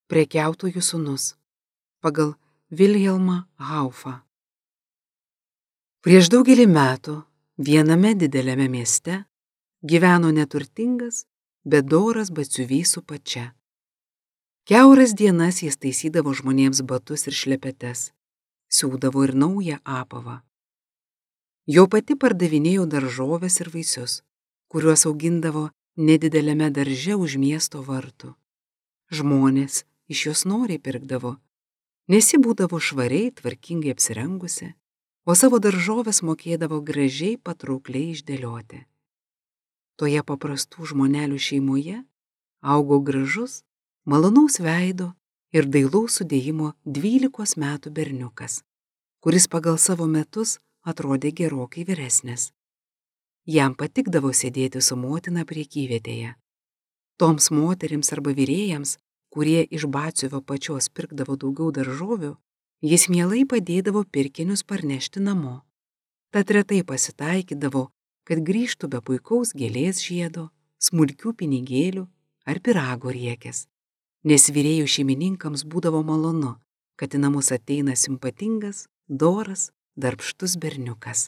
Prekiautojų sūnus pagal Vilhelmą Haufą. Prieš daugelį metų viename dideliame mieste gyveno neturtingas, bet doras batsiuvys su pačia. Kiauras dienas jis taisydavo žmonėms batus ir šlepetes, siūdavo ir naują apavą. Jo pati pardavinėjo daržoves ir vaisius, kuriuos augindavo nedideliame darže už miesto vartų. Žmonės iš jos noriai pirkdavo, nes ji būdavo švariai, tvarkingai apsirengusi, o savo daržoves mokėdavo gražiai, patraukliai išdėlioti. Toje paprastų žmonelių šeimoje augo gražus, malonaus veido ir dailaus sudėjimo 12 metų berniukas, kuris pagal savo metus atrodė gerokai vyresnis. Jam patikdavo sėdėti su motina prekyvietėje. Toms moterims arba vyrėjams, kurie iš batsiuvio pačios pirkdavo daugiau daržovių, jis mielai padėdavo pirkinius parnešti namo. Tad retai pasitaikydavo, kad grįžtų be puikaus gėlės žiedo, smulkių pinigėlių ar pyrago riekės, nes vyrėjų šeimininkams būdavo malonu, kad į namus ateina simpatingas, doras, darbštus berniukas.